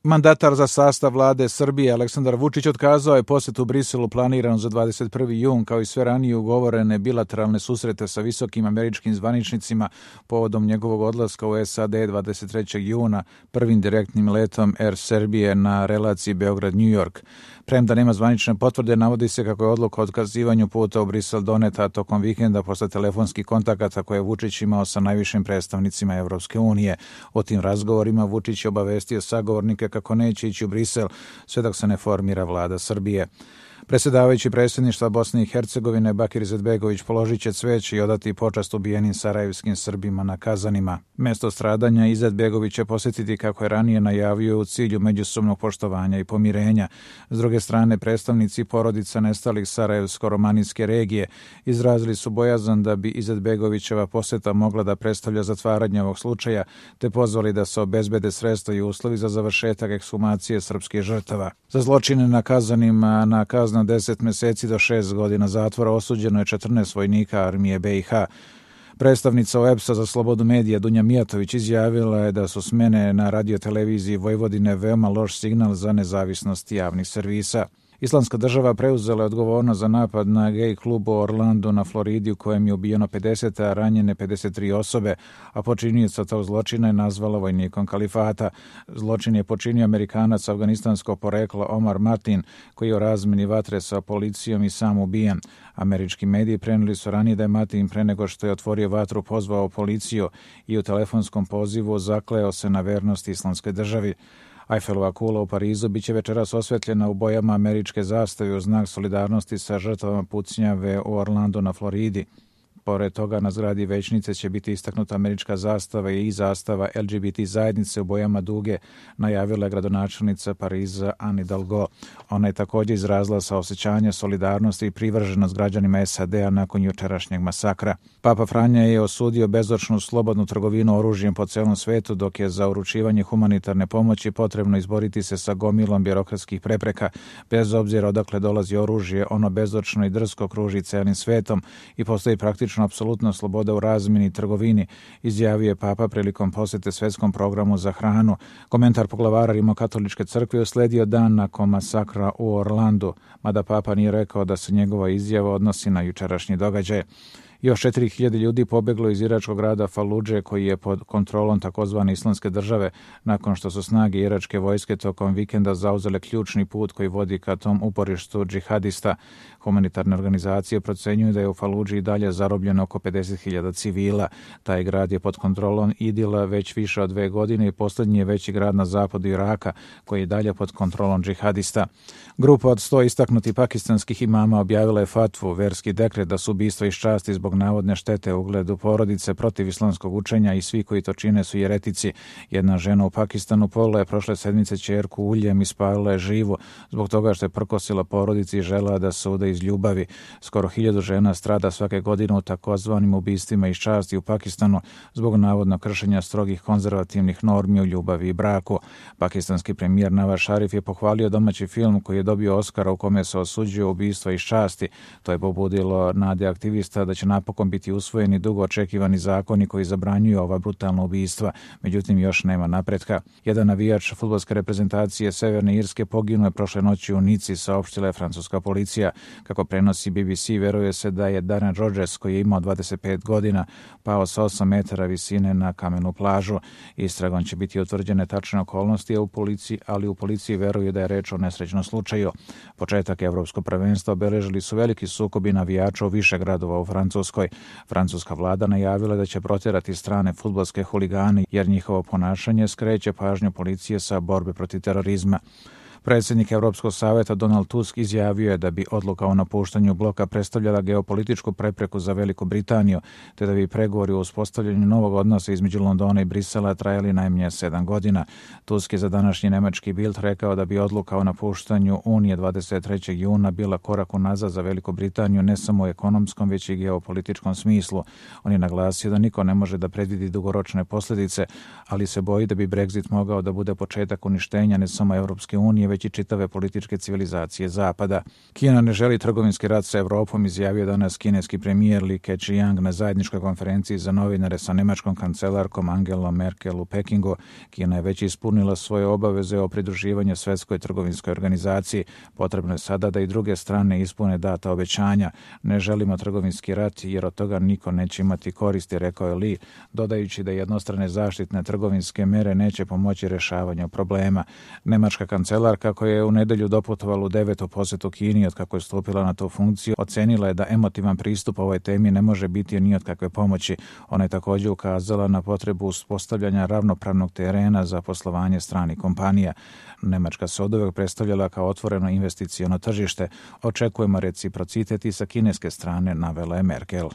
Mandatar za sastav vlade Srbije Aleksandar Vučić otkazao je posjetu Briselu planiranu za 21. jun, kao i sve ranije ugovorene bilateralne susrete sa visokim američkim zvaničnicima povodom njegovog odlaska u SAD 23. juna prvim direktnim letom Air Serbije na relaciji Beograd-New York. Premda nema zvanične potvrde, navodi se kako je odluka o otkazivanju puta u Brisel doneta tokom vikenda posle telefonskih kontakata koje je Vučić imao sa najvišim predstavnicima Evropske unije. O tim razgovorima Vučić je obavestio sagovornike kako neće ići u Brisel sve dok se ne formira vlada Srbije. Predsjedavajući predsjedništva Bosne i Hercegovine Bakir Izetbegović položit će cveće i odati počast ubijenim sarajevskim Srbima na Kazanima. Mesto stradanja Izetbegović će posjetiti, kako je ranije najavio, u cilju međusobnog poštovanja i pomirenja. S druge strane, predstavnici porodica nestalih sarajevsko-romanijske regije izrazili su bojazan da bi Izetbegovićeva posjeta mogla da predstavlja zatvaranje ovog slučaja, te pozvali da se obezbede sredstva i uslovi za završetak ekshumacije srpskih žrtava. Za zločine na Kazanima na kaznu 10 meseci do 6 godina zatvora osuđeno je 14 vojnika armije BiH. Predstavnica OEBS-a za slobodu medija Dunja Mijatović izjavila je da su smene na radioteleviziji Vojvodine veoma loš signal za nezavisnost javnih servisa. Islamska država preuzela je odgovornost za napad na gej klub u Orlandu na Floridi u kojem je ubijeno 50, a ranjene 53 osobe, a počinioca tog zločina je nazvala vojnikom kalifata. Zločin je počinio Amerikanac afganistanskog porekla Omar Martin, koji je u razmeni vatre sa policijom i sam ubijen. Američki mediji prenijeli su ranije da je Martin pre nego što je otvorio vatru pozvao policiju i u telefonskom pozivu zakleo se na vernost islamskoj državi. Eiffelova kula u Parizu biće večeras osvetljena u bojama američke zastave u znak solidarnosti sa žrtvama pucnjave u Orlandu na Floridi. Pored toga, na zgradi većnice će biti istaknuta američka zastava i zastava LGBT zajednice u bojama duge, najavila je gradonačelnica Pariza Anne Hidalgo. Ona je također izrazila saosećanje, solidarnosti i privrženost građanima SAD-a nakon jučerašnjeg masakra. Papa Franja je osudio bezočnu slobodnu trgovinu oružjem po celom svetu, dok je za uručivanje humanitarne pomoći potrebno izboriti se sa gomilom birokratskih prepreka. Bez obzira odakle dolazi oružje, ono bezočno i drsko kruži celim svetom i postoji praktično apsolutna sloboda u razmjeni i trgovini, izjavio je Papa prilikom posjete svetskom programu za hranu. Komentar poglavara Rimokatoličke crkve usledio dan nakon masakra u Orlandu, mada Papa nije rekao da se njegova izjava odnosi na jučerašnji događaj. Još 4000 ljudi pobeglo iz iračkog grada Faludže, koji je pod kontrolom takozvane Islamske države, nakon što su snage iračke vojske tokom vikenda zauzele ključni put koji vodi ka tom uporištu džihadista. Humanitarne organizacije procenjuju da je u Faludži i dalje zarobljeno oko 50.000 civila. Taj grad je pod kontrolom IDIL-a već više od 2 godine i posljednji je veći grad na zapadu Iraka, koji je dalje pod kontrolom džihadista. Grupa od 100 istaknutih pakistanskih imama objavila je fatvu, verski dekret, da su ubistva iz časti zbog navodne štete ugledu porodice protiv islamskog učenja i svi koji to čine su jeretici. Jedna žena u Pakistanu polila je prošle sedmice ćerku uljem i spalila je živu zbog toga što je prkosila porodici i žela da se uda iz ljubavi. Skoro 1000 žena strada svake godine u takozvanim ubistvima iz časti u Pakistanu zbog navodno kršenja strogih konzervativnih normi u ljubavi i braku. Pakistanski premijer Nawaz Sharif je pohvalio domaći film koji je dobio Oskara u kome se osuđuje ubistva iz časti. To je pobudilo nade aktivista da će napokon biti usvojeni dugo očekivani zakoni koji zabranjuju ova brutalna ubistva. Međutim, još nema napretka. Jedan navijač fudbalske reprezentacije Severne Irske poginuo je prošle noći u Nici, saopštila je francuska policija. Kako prenosi BBC, veruje se da je Darren Rodgers, koji je imao 25 godina, pao sa 8 metara visine na kamenu plažu. Istragom će biti utvrđene tačne okolnosti, ali u policiji veruju da je reč o nesrećnom slučaju. Početak evropskog prvenstva obeležili su veliki sukobi navijača u više gradova u Francuskoj. Francuska vlada najavila da će protjerati strane fudbalske huligane jer njihovo ponašanje skreće pažnju policije sa borbe protiv terorizma. Predsjednik Europskog savjeta Donald Tusk izjavio je da bi odluka o napuštanju bloka predstavljala geopolitičku prepreku za Veliku Britaniju, te da bi pregovori o uspostavljanju novog odnosa između Londona i Brisela trajali najmanje 7 godina. Tusk je za današnji nemački Bild rekao da bi odluka o napuštanju Unije 23. juna bila korak unazad za Veliku Britaniju ne samo u ekonomskom, već i geopolitičkom smislu. On je naglasio da niko ne može da predvidi dugoročne posljedice, ali se boji da bi Brexit mogao da bude početak uništenja ne samo Europske unije, već već i čitave političke civilizacije Zapada. Kina ne želi trgovinski rat sa Evropom, izjavio danas kineski premijer Li Keqiang na zajedničkoj konferenciji za novinare sa nemačkom kancelarkom Angelom Merkel u Pekingu. Kina je već ispunila svoje obaveze o pridruživanju Svjetskoj trgovinskoj organizaciji. Potrebno je sada da i druge strane ispune data obećanja. Ne želimo trgovinski rat jer od toga niko neće imati koristi, rekao je Li, dodajući da jednostrane zaštitne trgovinske mere neće pomoći rješavanju problema. Nemačka kancelarka, koja je u nedelju doputovala u 9. posjetu Kini od kako je stupila na tu funkciju, ocenila je da emotivan pristup ovoj temi ne može biti ni od kakve pomoći. Ona je također ukazala na potrebu uspostavljanja ravnopravnog terena za poslovanje stranih kompanija. Nemačka se oduvek predstavljala kao otvoreno investiciono tržište. Očekujemo reciprocitet i sa kineske strane, navela je Merkel.